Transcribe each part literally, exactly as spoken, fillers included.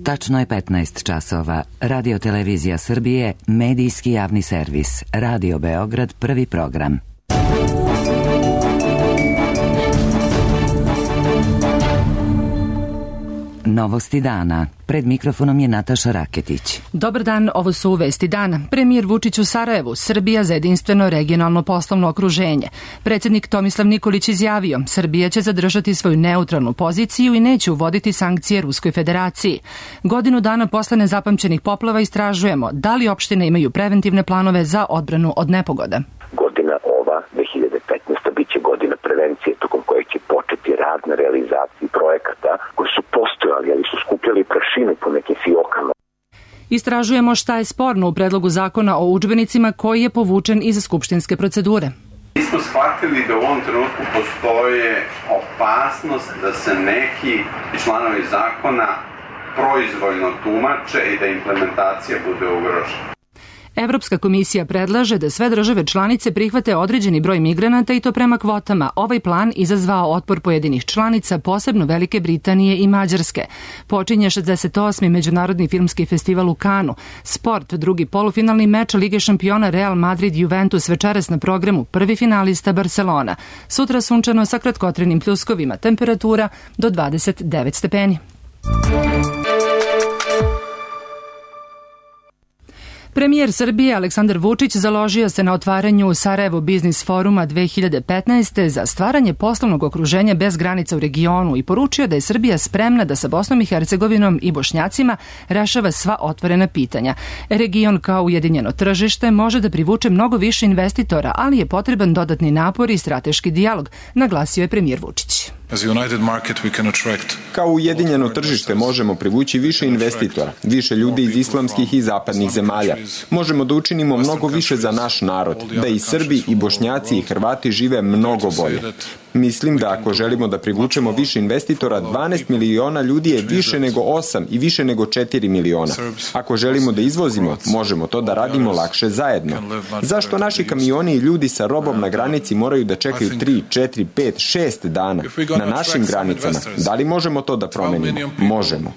Tačno je petnaest časova. Radio Televizija Srbije, medijski javni servis. Radio Beograd, prvi program. Novosti dana. Pred mikrofonom je Nataša Raketić. Dobar dan, ovo su vesti dana. Premijer Vučić u Sarajevu, Srbija za jedinstveno regionalno poslovno okruženje. Predsjednik Tomislav Nikolić izjavio, Srbija će zadržati svoju neutralnu poziciju i neće uvoditi sankcije Ruskoj federaciji. Godinu dana posle nezapamćenih poplava istražujemo da li opštine imaju preventivne planove za odbranu od nepogoda. Godina ova, dve hiljade petnaesta, bit će godina prevencije tokom koje će početi rad na realizaciji projekata koji su postojali, ali su skupljali prašinu po nekim fiokama. Istražujemo šta je sporno u predlogu zakona o udžbenicima koji je povučen iz skupštinske procedure. Mi smo shvatili da u ovom trenutku postoje opasnost da se neki članovi zakona proizvoljno tumače i da implementacija bude ugrožena. Evropska komisija predlaže da sve države članice prihvate određeni broj migranata i to prema kvotama. Ovaj plan izazvao otpor pojedinih članica, posebno Velike Britanije i Mađarske. Počinje šezdeset osmi Međunarodni filmski festival u Kanu. Sport, drugi polufinalni meč Lige šampiona Real Madrid-Juventus večeras na programu, prvi finalista Barcelona. Sutra sunčano sa kratkotrenim pljuskovima, temperatura do dvadeset devet stepeni. Premijer Srbije Aleksandar Vučić založio se na otvaranju Sarajevo Biznis foruma dve hiljade petnaeste. za stvaranje poslovnog okruženja bez granica u regionu i poručio da je Srbija spremna da sa Bosnom i Hercegovinom i Bošnjacima rešava sva otvorena pitanja. Region kao ujedinjeno tržište može da privuče mnogo više investitora, ali je potreban dodatni napor i strateški dijalog, naglasio je premijer Vučić. Kao ujedinjeno tržište možemo privući više investitora, više ljudi iz islamskih i zapadnih zemalja. Možemo da učinimo mnogo više za naš narod, da i Srbi i Bošnjaci i Hrvati žive mnogo bolje. Mislim da ako želimo da privučemo više investitora, dvanaest miliona ljudi je više nego osam i više nego četiri miliona. Ako želimo da izvozimo, možemo to da radimo lakše zajedno. Zašto naši kamioni i ljudi sa robom na granici moraju da čekaju tri, četiri, pet, šest dana na našim granicama? Da li možemo to da promenimo? Možemo.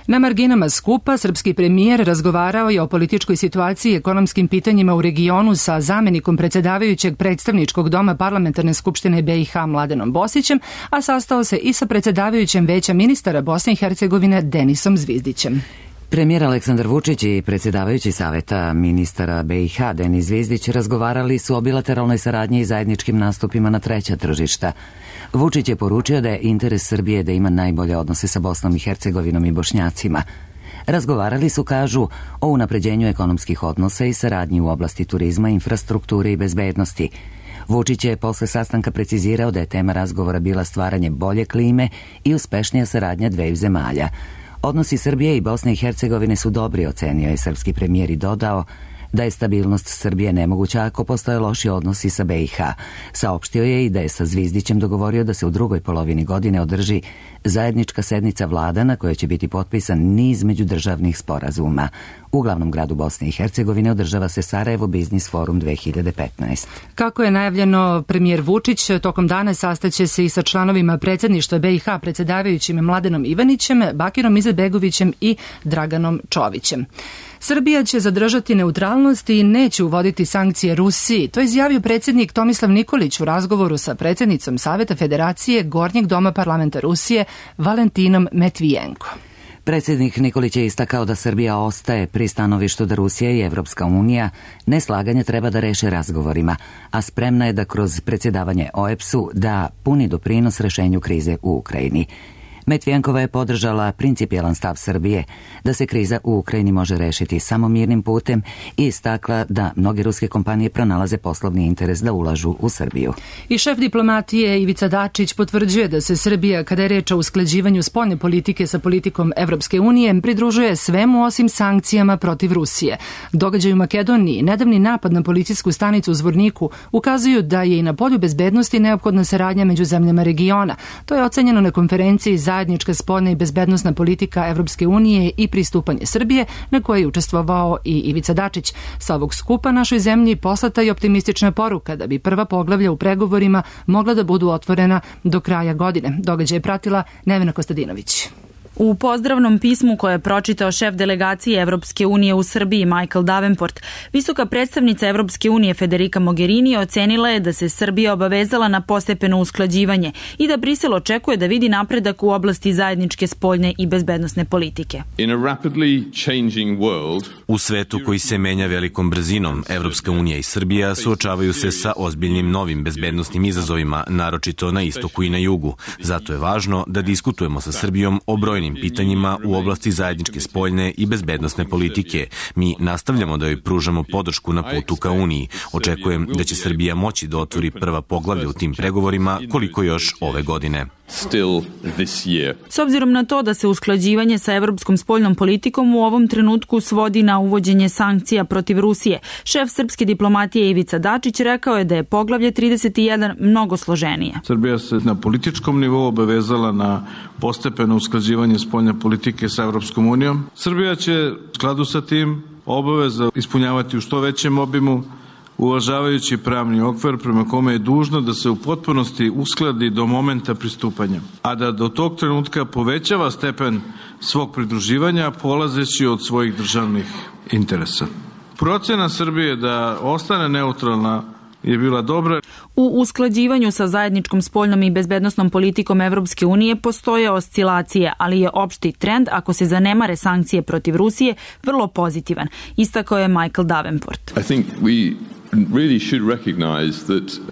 Na marginama skupa, srpski premijer razgovarao je o političkoj situaciji i ekonomskim pitanjima u regionu sa zamenikom predsjedavajućeg predstavničkog doma Parlamentarne skupštine B i H Mladenom Bosićem, a sastao se i sa predsjedavajućem Veća ministara Bosne i Hercegovine Denisom Zvizdićem. Premijer Aleksandar Vučić i predsjedavajući saveta ministara B i H Denis Zvizdić razgovarali su o bilateralnoj saradnji i zajedničkim nastupima na treća tržišta. Vučić je poručio da je interes Srbije da ima najbolje odnose sa Bosnom i Hercegovinom i Bošnjacima. Razgovarali su, kažu, o unapređenju ekonomskih odnosa i saradnji u oblasti turizma, infrastrukture i bezbednosti. Vučić je posle sastanka precizirao da je tema razgovora bila stvaranje bolje klime i uspešnija saradnja dveju zemalja. Odnosi Srbije i Bosne i Hercegovine su dobri, ocenio je srpski premijer i dodao da je stabilnost Srbije nemoguća ako postoje loši odnosi sa B i H. Saopštio je i da je sa Zvizdićem dogovorio da se u drugoj polovini godine održi zajednička sednica vlada na kojoj će biti potpisan niz međudržavnih sporazuma. U glavnom gradu Bosne i Hercegovine održava se Sarajevo Biznis forum dve hiljade petnaeste. Kako je najavljeno, premijer Vučić tokom dana sastaće se i sa članovima predsjedništva B i H, predsjedavajućim Mladenom Ivanićem, Bakirom Izetbegovićem i Draganom Čovićem. Srbija će zadržati neutralnost i neće uvoditi sankcije Rusiji. To je izjavio predsjednik Tomislav Nikolić u razgovoru sa predsjednicom Saveta Federacije Gornjeg doma parlamenta Rusije Valentinom Metvijenko. Predsjednik Nikolić je istakao da Srbija ostaje pri stanovištu da Rusija i Evropska unija neslaganje treba da reše razgovorima, a spremna je da kroz predsjedavanje O E B S-u da puni doprinos rešenju krize u Ukrajini. Metvijenkova je podržala principijelan stav Srbije da se kriza u Ukrajini može rešiti samo mirnim putem i istakla da mnoge ruske kompanije pronalaze poslovni interes da ulažu u Srbiju. I šef diplomatije Ivica Dačić potvrđuje da se Srbija, kada je reč o usklađivanju spoljne politike sa politikom Evropske unije, pridružuje svemu osim sankcijama protiv Rusije. Događaj u Makedoniji, nedavni napad na policijsku stanicu u Zvorniku ukazuju da je i na polju bezbednosti neophodna saradnja među zemljama regiona. To je ocenjeno na konferenciji za zajednička spoljna i bezbednosna politika Evropske unije i pristupanje Srbije, na kojoj je učestvovao i Ivica Dačić. Sa ovog skupa našoj zemlji poslata je optimistična poruka da bi prva poglavlja u pregovorima mogla da budu otvorena do kraja godine. Događaj je pratila Nevena Kostadinović. U pozdravnom pismu koje je pročitao šef delegacije Evropske unije u Srbiji Michael Davenport, visoka predstavnica Evropske unije Federica Mogherini ocenila je da se Srbija obavezala na postepeno usklađivanje i da Brisel očekuje da vidi napredak u oblasti zajedničke spoljne i bezbednosne politike. U svetu koji se menja velikom brzinom, Evropska unija i Srbija suočavaju se sa ozbiljnim novim bezbednosnim izazovima, naročito na istoku i na jugu. Zato je važno da diskutujemo sa Srbijom o brojnim pitanjima u oblasti zajedničke spoljne i bezbednosne politike. Mi nastavljamo da joj pružamo podršku na putu ka Uniji. Očekujem da će Srbija moći da otvori prva poglavlja u tim pregovorima koliko još ove godine. S obzirom na to da se usklađivanje sa evropskom spoljnom politikom u ovom trenutku svodi na uvođenje sankcija protiv Rusije, šef srpske diplomatije Ivica Dačić rekao je da je poglavlje trideset jedan mnogo složenije. Srbija se na političkom nivou obavezala na postepeno usklađivanje spoljne politike sa Evropskom unijom. Srbija će u skladu sa tim obaveza ispunjavati u što većem obimu, uvažavajući pravni okvir prema kome je dužno da se u potpunosti uskladi do momenta pristupanja, a da do tog trenutka povećava stepen svog pridruživanja polazeći od svojih državnih interesa. Procena Srbije da ostane neutralna je bila dobra. U usklađivanju sa zajedničkom spoljnom i bezbednosnom politikom Evropske unije postoje oscilacije, ali je opšti trend, ako se zanemare sankcije protiv Rusije, vrlo pozitivan, istakao je Michael Davenport.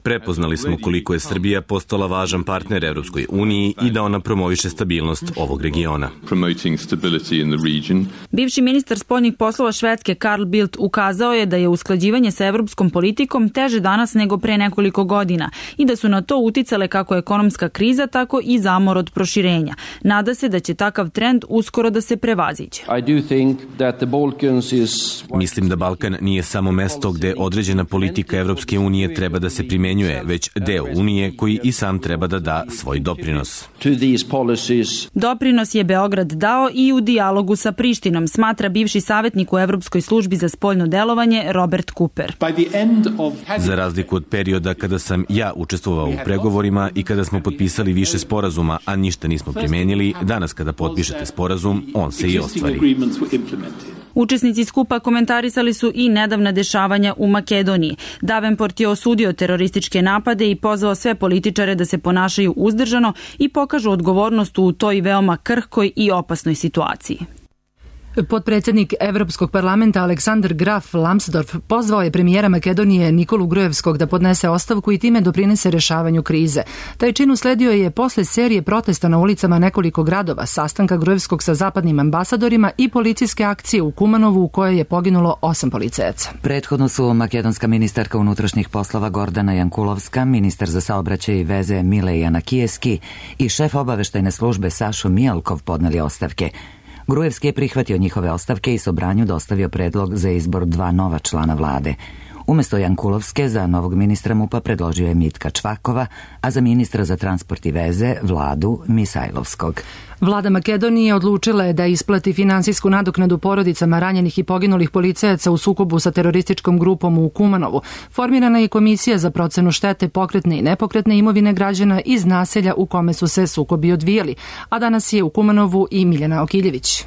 Prepoznali smo koliko je Srbija postala važan partner Evropskoj uniji i da ona promoviše stabilnost ovog regiona. Bivši ministar spoljnih poslova Švedske Carl Bildt ukazao je da je usklađivanje sa evropskom politikom teže danas nego pre nekoliko godina i da su na to uticale kako ekonomska kriza, tako i zamor od proširenja. Nada se da će takav trend uskoro da se prevaziđe. Mislim da Balkan nije samo mesto gde određena politika Evropske unije treba da se primenjuje, već deo Unije koji i sam treba da da svoj doprinos. Doprinos je Beograd dao i u dijalogu sa Prištinom, smatra bivši savjetnik u Evropskoj službi za spoljno delovanje Robert Cooper. Za razliku od perioda kada sam ja učestvovao u pregovorima i kada smo potpisali više sporazuma, a ništa nismo primenili, danas kada potpišete sporazum, on se i ostvari. Učesnici skupa komentarisali su i nedavna dešavanja u Makedoniji. Davenport je osudio terorističke napade i pozvao sve političare da se ponašaju uzdržano i pokažu odgovornost u toj veoma krhkoj i opasnoj situaciji. Potpredsjednik Evropskog parlamenta Aleksandar Graf Lambsdorff pozvao je premijera Makedonije Nikolu Grujevskog da podnese ostavku i time doprinese rešavanju krize. Taj čin usledio je posle serije protesta na ulicama nekoliko gradova, sastanka Grujevskog sa zapadnim ambasadorima i policijske akcije u Kumanovu u kojoj je poginulo osam policajaca. Prethodno su makedonska ministarka unutrašnjih poslova Gordana Jankulovska, ministar za saobraćaj i veze Mile Janakijeski i šef obaveštajne službe Sašo Mijalkov podneli ostavke. Grujevski je prihvatio njihove ostavke i Sobranju dostavio predlog za izbor dva nova člana vlade. Umesto Jankulovske za novog ministra MUP-a predložio je Mitka Čvakova, a za ministra za transport i veze Vladu Misajlovskog. Vlada Makedonije odlučila je da isplati finansijsku nadoknadu porodicama ranjenih i poginulih policajaca u sukobu sa terorističkom grupom u Kumanovu. Formirana je komisija za procenu štete pokretne i nepokretne imovine građana iz naselja u kome su se sukobi odvijali, a danas je u Kumanovu i Miljana Okiljević.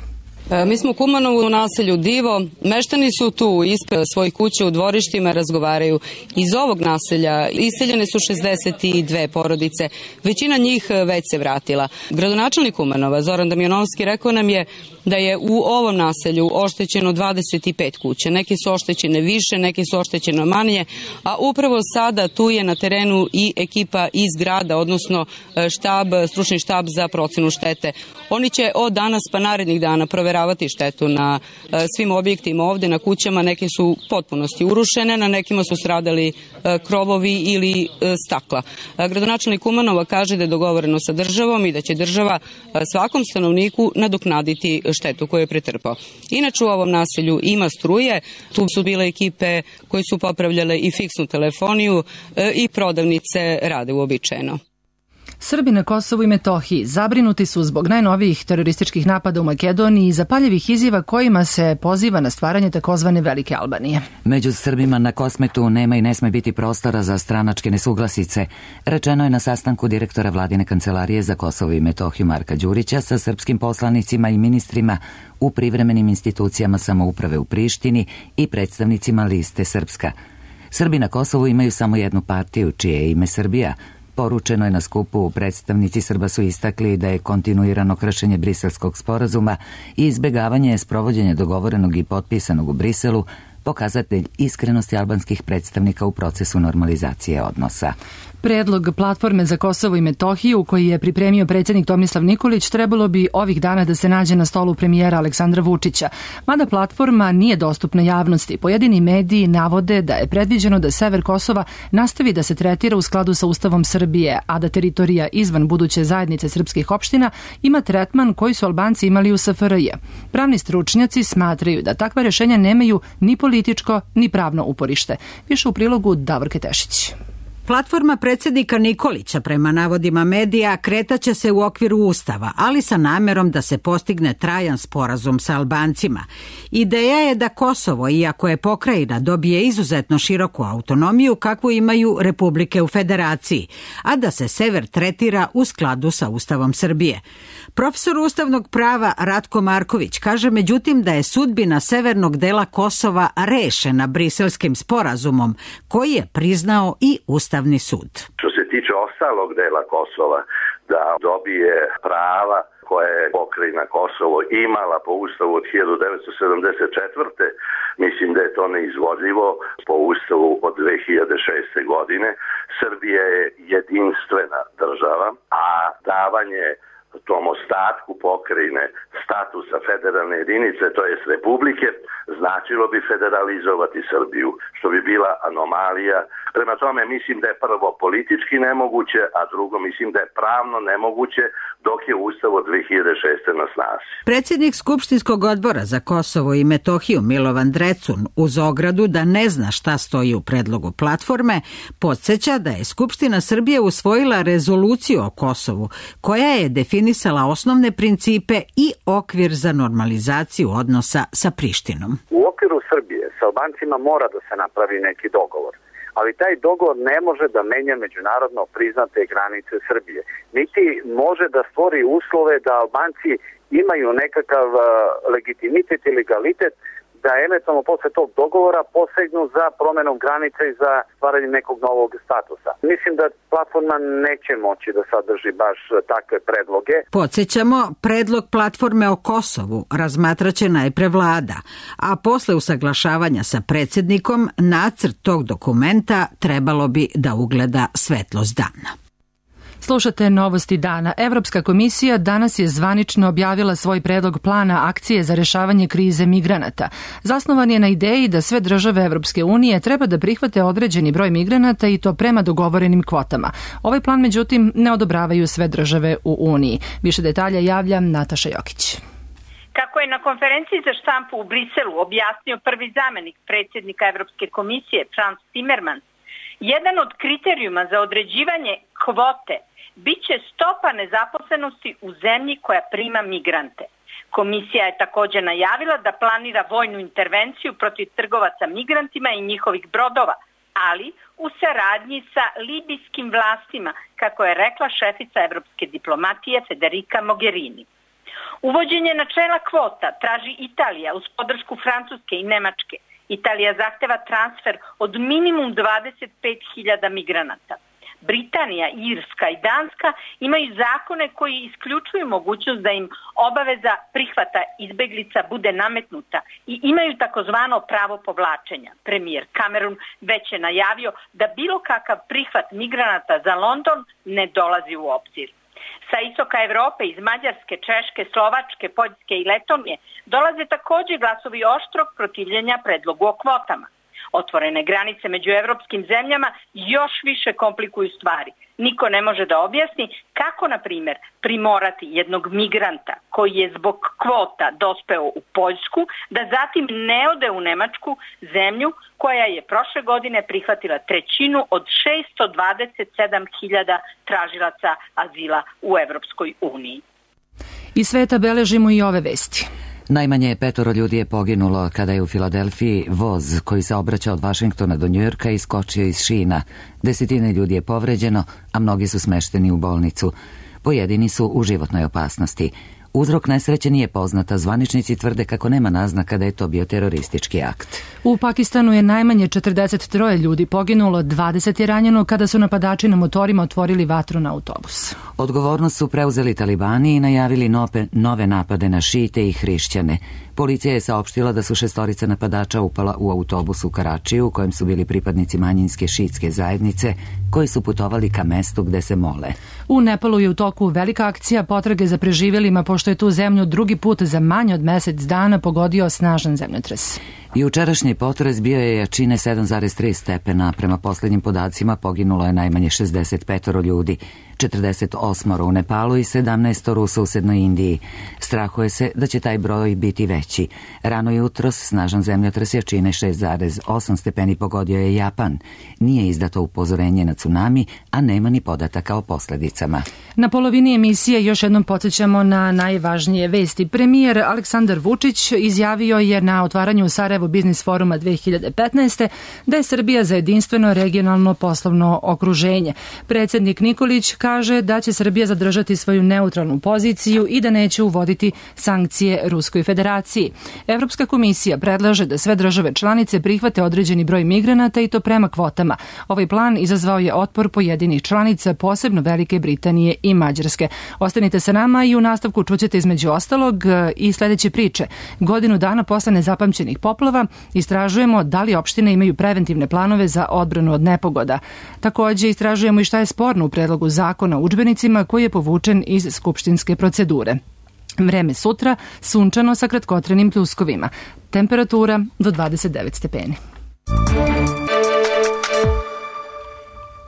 Mi smo u Kumanovu u naselju Divo, meštani su tu ispred svojih kuća u dvorištima, razgovaraju. Iz ovog naselja iseljene su šezdeset dve porodice, većina njih već se vratila. Gradonačelnik Kumanova Zoran Damjanovski rekao nam je da je u ovom naselju oštećeno dvadeset pet kuća. Neki su oštećene više, neki su oštećene manje, a upravo sada tu je na terenu i ekipa iz grada, odnosno štab, stručni štab za procenu štete. Oni će od danas pa narednih dana proveravati štetu na svim objektima ovde, na kućama. Neke su potpunosti urušene, na nekima su stradali krovovi ili stakla. Gradonačelnik Kumanova kaže da je dogovoreno sa državom i da će država svakom stanovniku nadoknaditi štetu koju je pretrpao. Inače u ovom naselju ima struje, tu su bile ekipe koje su popravljale i fiksnu telefoniju i prodavnice rade uobičajeno. Srbi na Kosovu i Metohiji zabrinuti su zbog najnovijih terorističkih napada u Makedoniji i zapaljivih izjava kojima se poziva na stvaranje takozvane Velike Albanije. Među Srbima na Kosmetu nema i ne sme biti prostora za stranačke nesuglasice, rečeno je na sastanku direktora Vladine kancelarije za Kosovo i Metohiju Marka Đurića sa srpskim poslanicima i ministrima u privremenim institucijama samouprave u Prištini i predstavnicima liste Srpska. Srbi na Kosovu imaju samo jednu partiju, čije je ime Srbija. Poručeno je na skupu, predstavnici Srba su istakli da je kontinuirano kršenje Briselskog sporazuma i izbegavanje sprovođenja dogovorenog i potpisanog u Briselu pokazatelj iskrenosti albanskih predstavnika u procesu normalizacije odnosa. Predlog platforme za Kosovo i Metohiju, koji je pripremio predsjednik Tomislav Nikolić, trebalo bi ovih dana da se nađe na stolu premijera Aleksandra Vučića. Mada platforma nije dostupna javnosti, pojedini mediji navode da je predviđeno da sever Kosova nastavi da se tretira u skladu sa Ustavom Srbije, a da teritorija izvan buduće zajednice srpskih opština ima tretman koji su Albanci imali u S F R J. Pravni stručnjaci smatraju da takva rješenja nemaju ni političko ni pravno uporište. Više u prilogu Davorke Tešić. Platforma predsjednika Nikolića, prema navodima medija, kretaće se u okviru Ustava, ali sa namerom da se postigne trajan sporazum sa Albancima. Ideja je da Kosovo, iako je pokrajina, dobije izuzetno široku autonomiju kakvu imaju republike u federaciji, a da se sever tretira u skladu sa Ustavom Srbije. Profesor ustavnog prava Ratko Marković kaže međutim da je sudbina severnog dela Kosova rešena Briselskim sporazumom koji je priznao i Ustavni sud. Što se tiče ostalog dela Kosova, da dobije prava koje je pokrajina Kosovo imala po Ustavu od hiljadu devetsto sedamdeset četvrte. Mislim da je to neizvodljivo po Ustavu od dve hiljade šeste. godine. Srbija je jedinstvena država, a davanje tom ostatku pokrajine statusa federalne jedinice, to jest republike, značilo bi federalizovati Srbiju, što bi bila anomalija. Prema tome mislim da je prvo politički nemoguće, a drugo mislim da je pravno nemoguće dok je Ustav od dve hiljade šeste. na snazi. Predsjednik Skupštinskog odbora za Kosovo i Metohiju Milovan Drecun uz ogradu da ne zna šta stoji u predlogu platforme, podsjeća da je Skupština Srbije usvojila rezoluciju o Kosovu koja je definisala osnovne principe i okvir za normalizaciju odnosa sa Prištinom. U okviru Srbije sa Albancima mora da se napravi neki dogovor, ali taj dogovor ne može da menja međunarodno priznate granice Srbije. Niti može da stvori uslove da Albanci imaju nekakav uh, legitimitet i legalitet da eventualno posle tog dogovora posegnu za promenom granica i za stvaranje nekog novog statusa. Mislim da platforma neće moći da sadrži baš takve predloge. Podsjećamo, predlog platforme o Kosovu razmatraće najpre vlada, a posle usaglašavanja sa predsjednikom nacrt tog dokumenta trebalo bi da ugleda svetlost dana. Slušate Novosti dana. Evropska komisija danas je zvanično objavila svoj predlog plana akcije za rešavanje krize migranata. Zasnovan je na ideji da sve države Evropske unije treba da prihvate određeni broj migranata i to prema dogovorenim kvotama. Ovaj plan, međutim, ne odobravaju sve države u Uniji. Više detalja javlja Nataša Jokić. Kako je na konferenciji za štampu u Briselu objasnio prvi zamenik predsjednika Evropske komisije Frans Timmermans, jedan od kriterijuma za određivanje kvote biće stopa nezaposlenosti u zemlji koja prima migrante. Komisija je također najavila da planira vojnu intervenciju protiv trgovaca migrantima i njihovih brodova, ali u saradnji sa libijskim vlastima, kako je rekla šefica evropske diplomatije Federica Mogherini. Uvođenje načela kvota traži Italija uz podršku Francuske i Nemačke. Italija zahteva transfer od minimum dvadeset pet hiljada migranata. Britanija, Irska i Danska imaju zakone koji isključuju mogućnost da im obaveza prihvata izbeglica bude nametnuta i imaju takozvano pravo povlačenja. Premijer Cameron već je najavio da bilo kakav prihvat migranata za London ne dolazi u obzir. Sa istoka Evrope, iz Mađarske, Češke, Slovačke, Poljske i Letonije dolaze također glasovi oštrog protivljenja predlogu o kvotama. Otvorene granice među evropskim zemljama još više komplikuju stvari. Niko ne može da objasni kako, na primjer, primorati jednog migranta koji je zbog kvota dospeo u Poljsku, da zatim ne ode u Nemačku, zemlju koja je prošle godine prihvatila trećinu od šesto dvadeset sedam hiljada tražilaca azila u Evropskoj uniji. Iz sveta beležimo i ove vesti. Najmanje petoro ljudi je poginulo kada je u Filadelfiji voz koji se obraća od Vašingtona do Njujorka iskočio iz šina. Desetine ljudi je povređeno, a mnogi su smešteni u bolnicu. Pojedini su u životnoj opasnosti. Uzrok nesreće nije poznata, zvaničnici tvrde kako nema naznaka da je to bio teroristički akt. U Pakistanu je najmanje četrdeset tri ljudi poginulo, dvadeset je ranjeno kada su napadači na motorima otvorili vatru na autobus. Odgovornost su preuzeli talibani i najavili nove, nove napade na šite i hrišćane. Policija je saopštila da su šestorica napadača upala u autobus u Karačiju u kojem su bili pripadnici manjinske šiitske zajednice koji su putovali ka mestu gde se mole. U Nepalu je u toku velika akcija potrage za preživjelima pošto je tu zemlju drugi put za manje od mesec dana pogodio snažan zemljotres. Jučerašnji potres bio je jačine sedam zarez tri stepena. Prema posljednjim podacima poginulo je najmanje šezdeset pet ljudi, četrdeset osam u Nepalu i sedamnaest u susednoj Indiji. Strahuje se da će taj broj biti veći. Rano jutros snažan zemljotres jačine šest zarez osam stepeni pogodio je Japan. Nije izdato upozorenje na tsunami, a nema ni podataka o posljedicama. Na polovini emisije još jednom podsjećamo na najvažnije vesti. Premijer Aleksandar Vučić izjavio je na otvaranju Sarajevo Biznis foruma dve hiljade petnaeste. da je Srbija za jedinstveno regionalno poslovno okruženje. Predsjednik Nikolić kaže da će Srbija zadržati svoju neutralnu poziciju i da neće uvoditi sankcije Ruskoj federaciji. Evropska komisija predlaže da sve države članice prihvate određeni broj migranata i to prema kvotama. Ovaj plan izazvao je otpor pojedinih članica, posebno Velike Britanije i Mađarske. Ostanite sa nama i u nastavku čućete između ostalog i sljedeće priče. Godinu dana posle nezapamćenih poplava istražujemo da li opštine imaju preventivne planove za odbranu od nepogoda. Također istražujemo i šta je sporno u predlogu zakona o udžbenicima koji je povučen iz skupštinske procedure. Vreme sutra, sunčano sa kratkotrenim pljuskovima. Temperatura do dvadeset devet stepeni.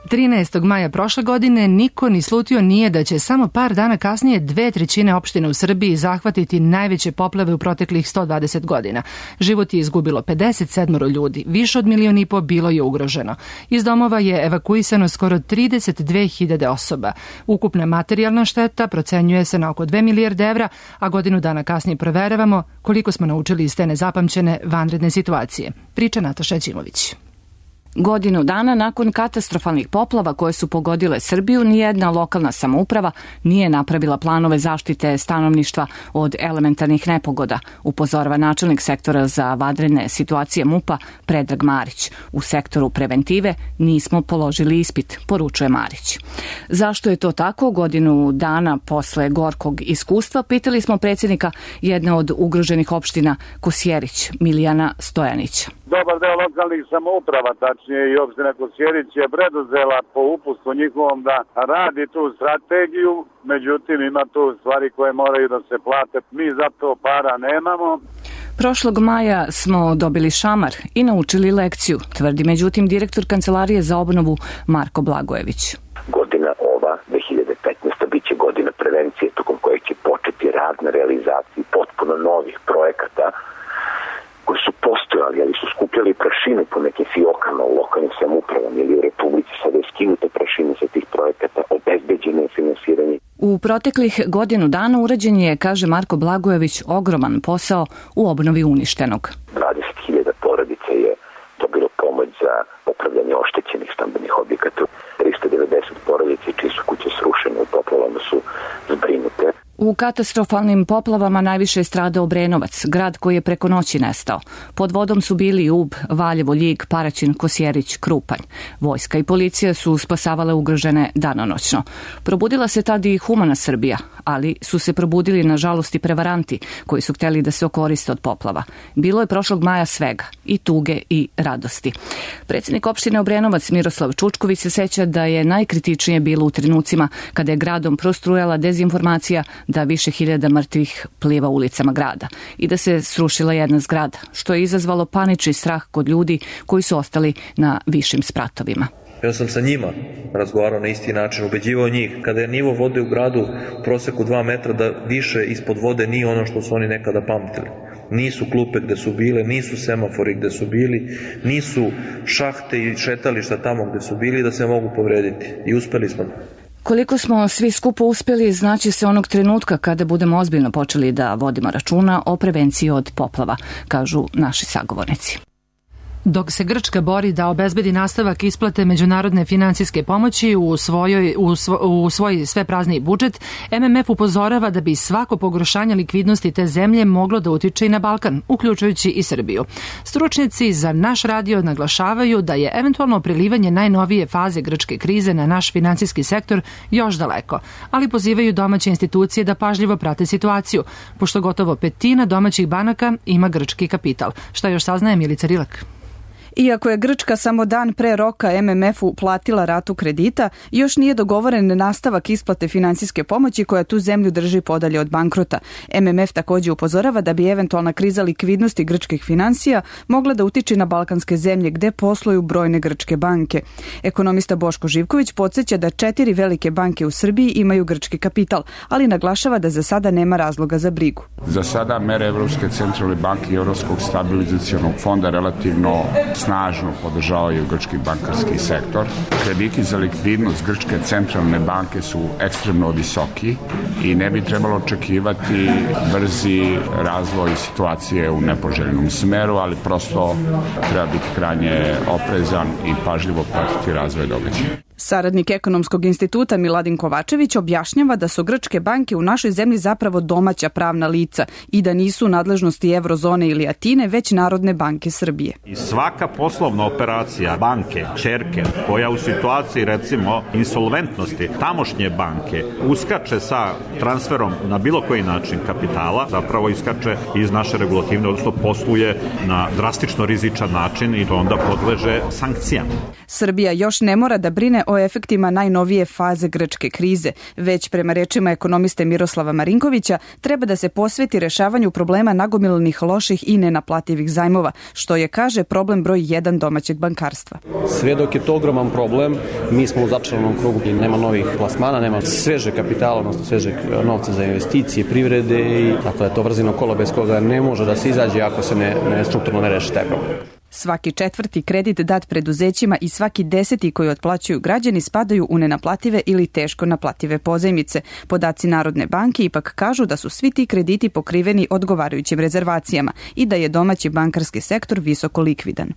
trinaestog maja prošle godine niko ni slutio nije da će samo par dana kasnije dve trećine opštine u Srbiji zahvatiti najveće poplave u proteklih sto dvadeset godina. Život je izgubilo pedeset sedam ljudi, više od milion i po bilo je ugroženo. Iz domova je evakuisano skoro trideset dve hiljade osoba. Ukupna materijalna šteta procenjuje se na oko dve milijarde evra, a godinu dana kasnije proveravamo koliko smo naučili iz te nezapamćene vanredne situacije. Priča Nataša Ćimović. Godinu dana nakon katastrofalnih poplava koje su pogodile Srbiju, nijedna lokalna samouprava nije napravila planove zaštite stanovništva od elementarnih nepogoda, upozorava načelnik sektora za vanredne situacije MUP-a Predrag Marić. U sektoru preventive nismo položili ispit, poručuje Marić. Zašto je to tako? Godinu dana posle gorkog iskustva pitali smo predsjednika jedne od ugroženih opština Kosjerić, Milijana Stojanića. Dobar deo lokalnih samouprava, tačnije i opština Kosjerić, je preduzela po upustvu njihovom da radi tu strategiju, međutim ima tu stvari koje moraju da se plate. Mi za to para nemamo. Prošlog maja smo dobili šamar i naučili lekciju, tvrdi međutim direktor Kancelarije za obnovu Marko Blagojević. Godina ova, dve hiljade petnaesta, bit će godina prevencije tokom koje će početi rad na realizaciji potpuno novih projekata koji su postojali, ali su skupljali prašinu po nekim fiokama u lokalnim samoupravama ili u Republici. Sada je skinuta prašina sa tih projekata, obezbeđeno je finansiranje. U proteklih godinu dana urađen je, kaže Marko Blagojević, ogroman posao u obnovi uništenog. dvadeset hiljada porodica je dobilo pomoć za popravljanje oštećenih stambenih objekata. trista devedeset porodica čije su kuće srušene u poplavama su zbrinute. U katastrofalnim poplavama najviše je stradao Obrenovac, grad koji je preko noći nestao. Pod vodom su bili Ub, Valjevo, Ljig, Paraćin, Kosjerić, Krupanj. Vojska i policija su spasavale ugrožene danonoćno. Probudila se tad i humana Srbija, ali su se probudili nažalost i prevaranti koji su htjeli da se okoriste od poplava. Bilo je prošlog maja svega, i tuge i radosti. Predsjednik opštine Obrenovac Miroslav Čučković se seća da je najkritičnije bilo u trenucima kada je gradom prostrujala dezinformacija da više hiljada mrtvih pliva ulicama grada i da se srušila jedna zgrada, što je izazvalo panični strah kod ljudi koji su ostali na višim spratovima. Ja sam sa njima razgovarao na isti način, ubeđivao njih. Kada je nivo vode u gradu u proseku dva metra, da više ispod vode nije ono što su oni nekada pamtili. Nisu klupe gde su bile, nisu semafori gde su bili, nisu šahte i šetališta tamo gde su bili da se mogu povrediti. I uspeli smo. Koliko smo svi skupo uspeli znači se onog trenutka kada budemo ozbiljno počeli da vodimo računa o prevenciji od poplava, kažu naši sagovornici. Dok se Grčka bori da obezbedi nastavak isplate međunarodne finansijske pomoći u, svojoj, u, svo, u svoj sve prazniji budžet, M M F upozorava da bi svako pogoršanje likvidnosti te zemlje moglo da utiče i na Balkan, uključujući i Srbiju. Stručnjaci za naš radio naglašavaju da je eventualno prelivanje najnovije faze grčke krize na naš finansijski sektor još daleko, ali pozivaju domaće institucije da pažljivo prate situaciju, pošto gotovo petina domaćih banaka ima grčki kapital. Šta još saznaje Milica Rilak? Iako je Grčka samo dan pre roka M M F-u platila ratu kredita, još nije dogovoren nastavak isplate finansijske pomoći koja tu zemlju drži podalje od bankrota. M M F također upozorava da bi eventualna kriza likvidnosti grčkih finansija mogla da utiče na balkanske zemlje gde posluju brojne grčke banke. Ekonomista Boško Živković podsjeća da četiri velike banke u Srbiji imaju grčki kapital, ali naglašava da za sada nema razloga za brigu. Za sada mere Evropske centralne banke i Evropskog stabilizacionog fonda relativno snažno podržavaju grčki bankarski sektor. Krediti za likvidnost Grčke centralne banke su ekstremno visoki i ne bi trebalo očekivati brzi razvoj situacije u nepoželjnom smeru, ali prosto treba biti krajnje oprezan i pažljivo pratiti razvoj događaja. Saradnik Ekonomskog instituta Miladin Kovačević objašnjava da su grčke banke u našoj zemlji zapravo domaća pravna lica i da nisu u nadležnosti Eurozone ili Atine, već Narodne banke Srbije. I svaka poslovna operacija banke, ćerke, koja u situaciji recimo insolventnosti tamošnje banke uskače sa transferom na bilo koji način kapitala, zapravo iskače iz naše regulativne, odnosno posluje na drastično rizičan način i to onda podleže sankcijama. Srbija još ne mora da brine o efektima najnovije faze grčke krize, već prema rečima ekonomiste Miroslava Marinkovića treba da se posveti rešavanju problema nagomilanih loših i nenaplativih zajmova, što je, kaže, problem broj jedan domaćeg bankarstva. Sve dok je to ogroman problem, mi smo u začaranom krugu i nema novih plasmana, nema sveže kapitala, odnosno svežeg novca za investicije, privrede i tako da je to vrzino kolo bez koga ne može da se izađe ako se ne, ne strukturno ne reši taj problem. Svaki četvrti kredit dat preduzećima i svaki deseti koji otplaćuju građani spadaju u nenaplative ili teško naplative pozajmice. Podaci Narodne banke ipak kažu da su svi ti krediti pokriveni odgovarajućim rezervacijama i da je domaći bankarski sektor visoko likvidan.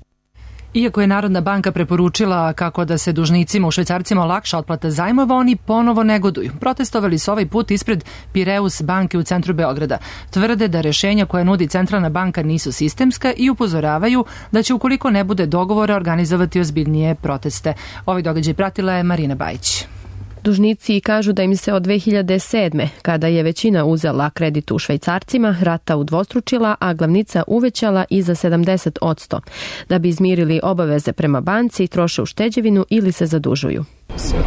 Iako je Narodna banka preporučila kako da se dužnicima u švajcarcima olakša otplata zajmova, oni ponovo negoduju. Protestovali su ovaj put ispred Pireus banke u centru Beograda. Tvrde da rešenja koje nudi Centralna banka nisu sistemska i upozoravaju da će, ukoliko ne bude dogovora, organizovati ozbiljnije proteste. Ovaj događaj pratila je Marina Bajić. Dužnici kažu da im se od dve hiljade sedme, kada je većina uzela kredit u švajcarcima, rata udvostručila, a glavnica uvećala i za sedamdeset posto. Da bi izmirili obaveze prema banci, troše ušteđevinu ili se zadužuju.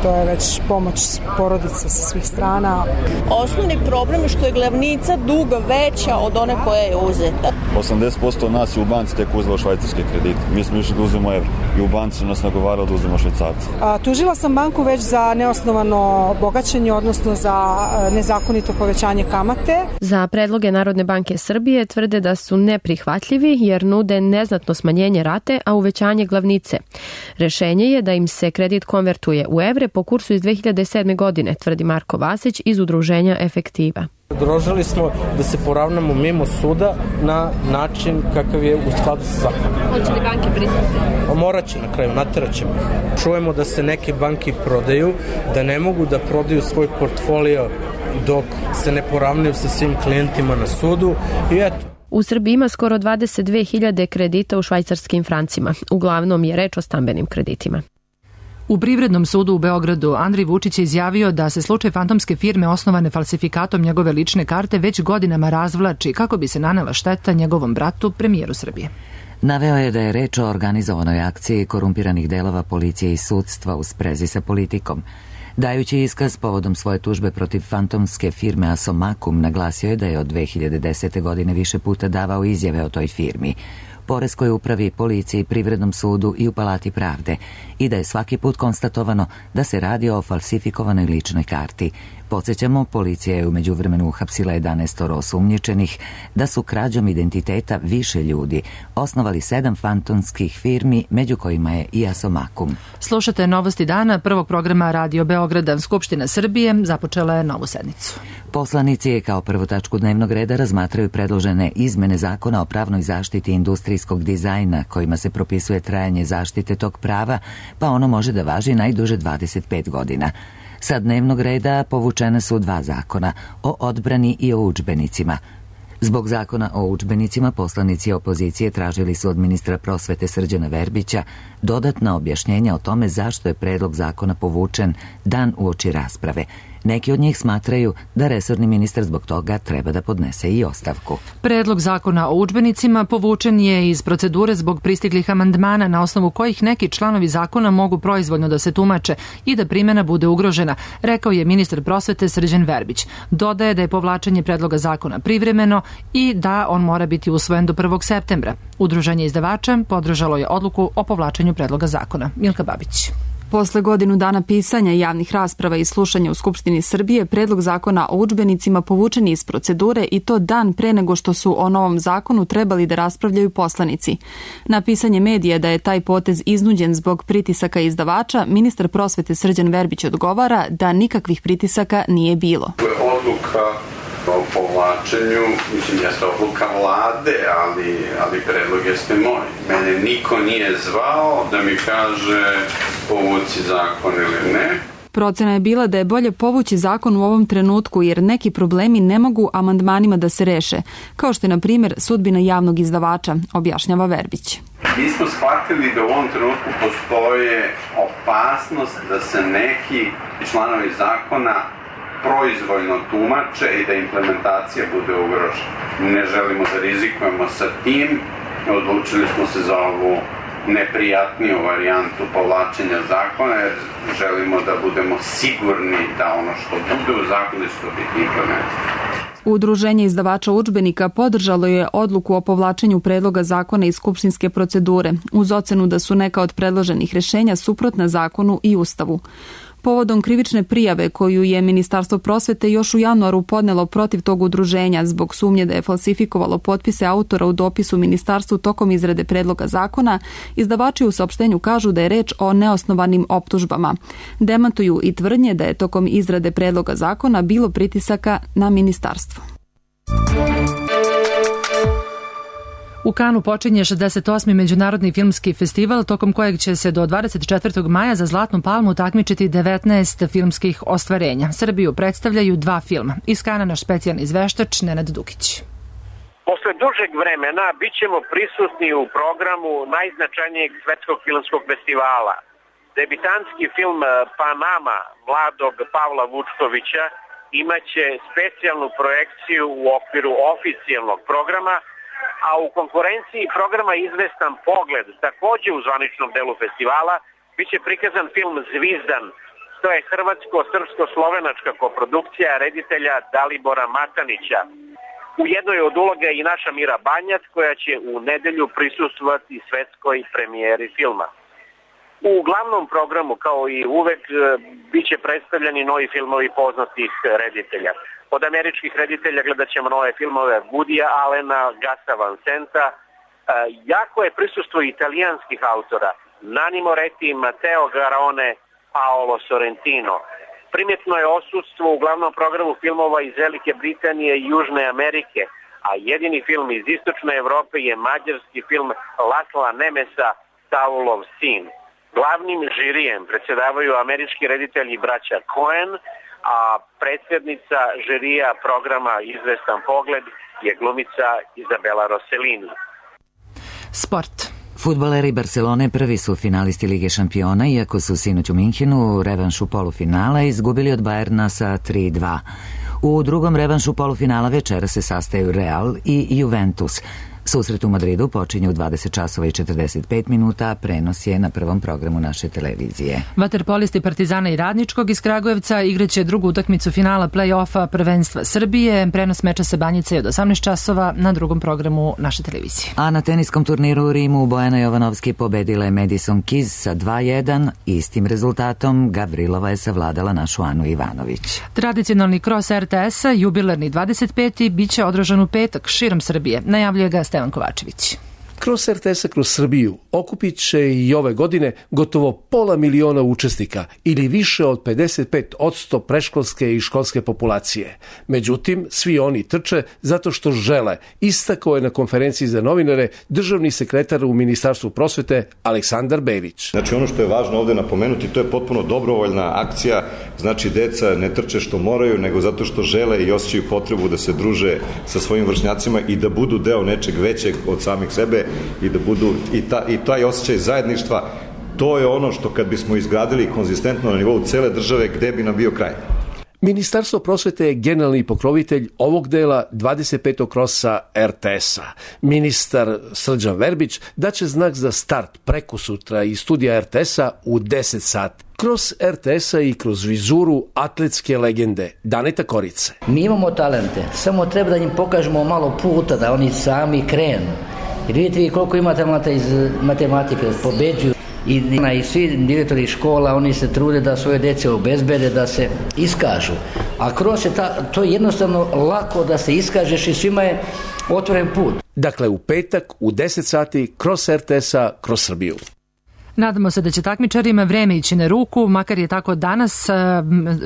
To je već pomoć porodice sa svih strana. Osnovni problem je što je glavnica duga veća od one koja je uzeta. osamdeset posto nas je u banci tek uzelo švajcarske kredite. Mi smo išli da uzmemo evro i u banci su nas nagovarali da uzmemo švajcarce. A, tužila sam banku već za neosnovano bogaćenje, odnosno za nezakonito povećanje kamate. Za predloge Narodne banke Srbije tvrde da su neprihvatljivi jer nude neznatno smanjenje rate, a uvećanje glavnice. Rešenje je da im se kredit konvertuje u evre po kursu iz dve hiljade sedme. godine, tvrdi Marko Vasić iz udruženja Efektiva. Predložili smo da se poravnamo mimo suda na način kakav je u skladu sa zakonom. Hoće li banke pristati? Morat će na kraju, natjerat ćemo. Čujemo da se neke banke prodaju, da ne mogu da prodaju svoj portfolio dok se ne poravnaju sa svim klijentima na sudu i eto. U Srbiji ima skoro dvadeset dve hiljade kredita u švajcarskim francima. Uglavnom je reč o stambenim kreditima. U Privrednom sudu u Beogradu Andrej Vučić je izjavio da se slučaj fantomske firme osnovane falsifikatom njegove lične karte već godinama razvlači kako bi se nanela šteta njegovom bratu, premijeru Srbije. Naveo je da je reč o organizovanoj akciji korumpiranih delova policije i sudstva u sprezi sa politikom. Dajući iskaz povodom svoje tužbe protiv fantomske firme Asomakum, naglasio je da je od dve hiljade desete. godine više puta davao izjave o toj firmi, poreskoj upravi, policiji, privrednom sudu i u Palati pravde i da je svaki put konstatovano da se radi o falsifikovanoj ličnoj karti. Podsjećamo, policija je u međuvremenu uhapsila jedanaest osumnjičenih da su krađom identiteta više ljudi osnovali sedam fantomskih firmi, među kojima je i Asomakum. Slušate Novosti dana prvog programa Radio Beograda. Skupština Srbije započela je novu sednicu. Poslanici kao prvu tačku dnevnog reda razmatraju predložene izmene zakona o pravnoj zaštiti industrijskog dizajna, kojima se propisuje trajanje zaštite tog prava, pa ono može da važi najduže dvadeset pet godina. Sa dnevnog reda povučene su dva zakona, o odbrani i o udžbenicima. Zbog zakona o udžbenicima poslanici opozicije tražili su od ministra prosvete Srđana Verbića dodatna objašnjenja o tome zašto je predlog zakona povučen dan uoči rasprave. Neki od njih smatraju da resorni ministar zbog toga treba da podnese i ostavku. Predlog zakona o udžbenicima povučen je iz procedure zbog pristiglih amandmana na osnovu kojih neki članovi zakona mogu proizvoljno da se tumače i da primjena bude ugrožena, rekao je ministar prosvete Srđan Verbić. Dodaje da je povlačenje predloga zakona privremeno i da on mora biti usvojen do prvog septembra. Udruženje izdavača podržalo je odluku o povlačenju predloga zakona. Milka Babić. Posle godinu dana pisanja, javnih rasprava i slušanja u Skupštini Srbije, predlog zakona o udžbenicima povučen iz procedure i to dan pre nego što su o novom zakonu trebali da raspravljaju poslanici. Na pisanje medija da je taj potez iznuđen zbog pritisaka izdavača, ministar prosvete Srđan Verbić odgovara da nikakvih pritisaka nije bilo. Odluka o povlačenju, mislim, jeste odluka vlade, ali, ali predlog jeste moj. Mene niko nije zvao da mi kaže povuci zakon ili ne. Procena je bila da je bolje povući zakon u ovom trenutku jer neki problemi ne mogu amandmanima da se reše, kao što je na primjer sudbina javnog izdavača, objašnjava Verbić. Mi smo shvatili da u ovom trenutku postoje opasnost da se neki članovi zakona proizvoljno tumače i da implementacija bude ugrožena. Ne želimo da rizikujemo sa tim, odlučili smo se za ovu neprijatniju varijantu povlačenja zakona jer želimo da budemo sigurni da ono što bude u zakonu će to biti implementirano. Udruženje izdavača udžbenika podržalo je odluku o povlačenju predloga zakona iz skupštinske procedure, uz ocenu da su neka od predloženih rešenja suprotna zakonu i Ustavu. Povodom krivične prijave koju je Ministarstvo prosvete još u januaru podnelo protiv tog udruženja zbog sumnje da je falsifikovalo potpise autora u dopisu ministarstvu tokom izrade predloga zakona, izdavači u saopštenju kažu da je reč o neosnovanim optužbama. Demantuju i tvrdnje da je tokom izrade predloga zakona bilo pritisaka na ministarstvo. U Kanu počinje šezdeset osmi Međunarodni filmski festival, tokom kojeg će se do dvadeset četvrtog maja za Zlatnu palmu takmičiti devetnaest filmskih ostvarenja. Srbiju predstavljaju dva filma. Iz Kana naš specijalni izveštač Nenad Dukić. Posle dužeg vremena bit ćemo prisutni u programu najznačajnijeg svetskog filmskog festivala. Debitanski film Panama mladog Pavla Vučkovića imaće specijalnu projekciju u okviru oficijalnog programa, a u konkurenciji programa Izvestan pogled, takođe u zvaničnom delu festivala, bit će prikazan film Zvizdan. To je hrvatsko-srpsko-slovenačka koprodukcija reditelja Dalibora Matanića. U jednoj od uloga je i naša Mira Banjac, koja će u nedelju prisustvovati svetskoj premijeri filma. U glavnom programu, kao i uvek, bit će predstavljeni novi filmovi poznatih reditelja. Od američkih reditelja gledat ćemo nove filmove Woodya Allena, Gasa Van Senta. E, jako je prisustvo italijanskih autora, Nanni Moretti, Matteo Garrone, Paolo Sorrentino. Primjetno je odsudstvo u glavnom programu filmova iz Velike Britanije i Južne Amerike, a jedini film iz Istočne Evrope je mađarski film Lasla Nemesa Saulov sin. Glavnim žirijem predsjedavaju američki reditelji braća Coen, a predsjednica žirija programa Izvestan pogled je glumica Izabela Rossellini. Sport. Fudbaleri Barcelone prvi su finalisti Lige šampiona, iako su sinoć u Minhenu u revanšu polufinala izgubili od Bayerna sa tri dva. U drugom revanšu polufinala večera se sastaju Real i Juventus. Susret u Madridu počinje u dvadeset časova i četrdeset pet minuta, a prenos je na prvom programu naše televizije. Vaterpolisti Partizana i Radničkog iz Kragujevca igraće drugu utakmicu finala play-offa prvenstva Srbije. Prenos meča sa Banjice je od osamnaest časova na drugom programu naše televizije. A na teniskom turniru u Rimu Bojana Jovanovski pobedila je Madison Keys sa dva jedan. Istim rezultatom Gavrilova je savladala našu Anu Ivanović. Tradicionalni kros er te es-a, jubilarni dvadeset peti, biće održan u petak širom Srbije. Najavljuje ga Stevan Kovačević. Kroz er te es-a kroz Srbiju okupit će i ove godine gotovo pola miliona učesnika ili više od pedeset pet posto predškolske i školske populacije. Međutim, svi oni trče zato što žele, istakao je na konferenciji za novinare državni sekretar u Ministarstvu prosvete Aleksandar Bević. Znači ono što je važno ovde napomenuti, to je potpuno dobrovoljna akcija, znači deca ne trče što moraju, nego zato što žele i osjećaju potrebu da se druže sa svojim vršnjacima i da budu deo nečeg većeg od samih sebe i da budu i, ta, i taj osjećaj zajedništva, to je ono što kad bismo izgradili konzistentno na nivou cele države, gde bi nam bio kraj. Ministarstvo prosvete je generalni pokrovitelj ovog dela dvadeset petog krosa er te es-a. Ministar Srđan Verbić daće znak za start prekosutra iz studija er te es-a u deset sati. Kroz er te es-a i kroz vizuru atletske legende Daneta Korice. Mi imamo talente, samo treba da im pokažemo malo puta da oni sami krenu. Jer vidite vi koliko ima talenta iz matematike, pobeđuju i, i svi direktori škola, oni se trude da svoje dece obezbede, da se iskažu. A kroz je ta, to je jednostavno lako da se iskažeš i svima je otvoren put. Dakle, u petak u deset sati kroz er te es-a, kroz Srbiju. Nadamo se da će takmičarima vreme ići na ruku, makar je tako danas.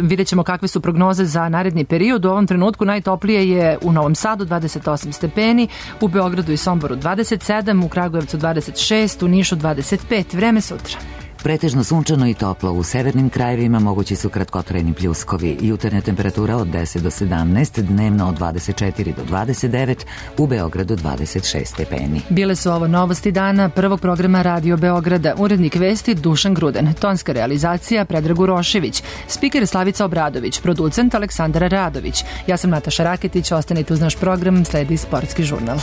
Vidjet ćemo kakve su prognoze za naredni period. U ovom trenutku najtoplije je u Novom Sadu dvadeset osam stepeni, u Beogradu i Somboru dvadeset sedam, u Kragujevcu dvadeset šest, u Nišu dvadeset pet. Vreme sutra. Pretežno sunčano i toplo. U severnim krajevima mogući su kratkotrajni pljuskovi. Jutarnja temperatura od deset do sedamnaest, dnevno od dvadeset četiri do dvadeset devet, u Beogradu dvadeset šest stepeni. Bile su ovo novosti dana prvog programa Radio Beograda. Urednik vesti Dušan Gruden, tonska realizacija Predrag Urošević, spiker Slavica Obradović, producent Aleksandar Radović. Ja sam Nataša Raketić, ostanite uz naš program, sledi sportski žurnal.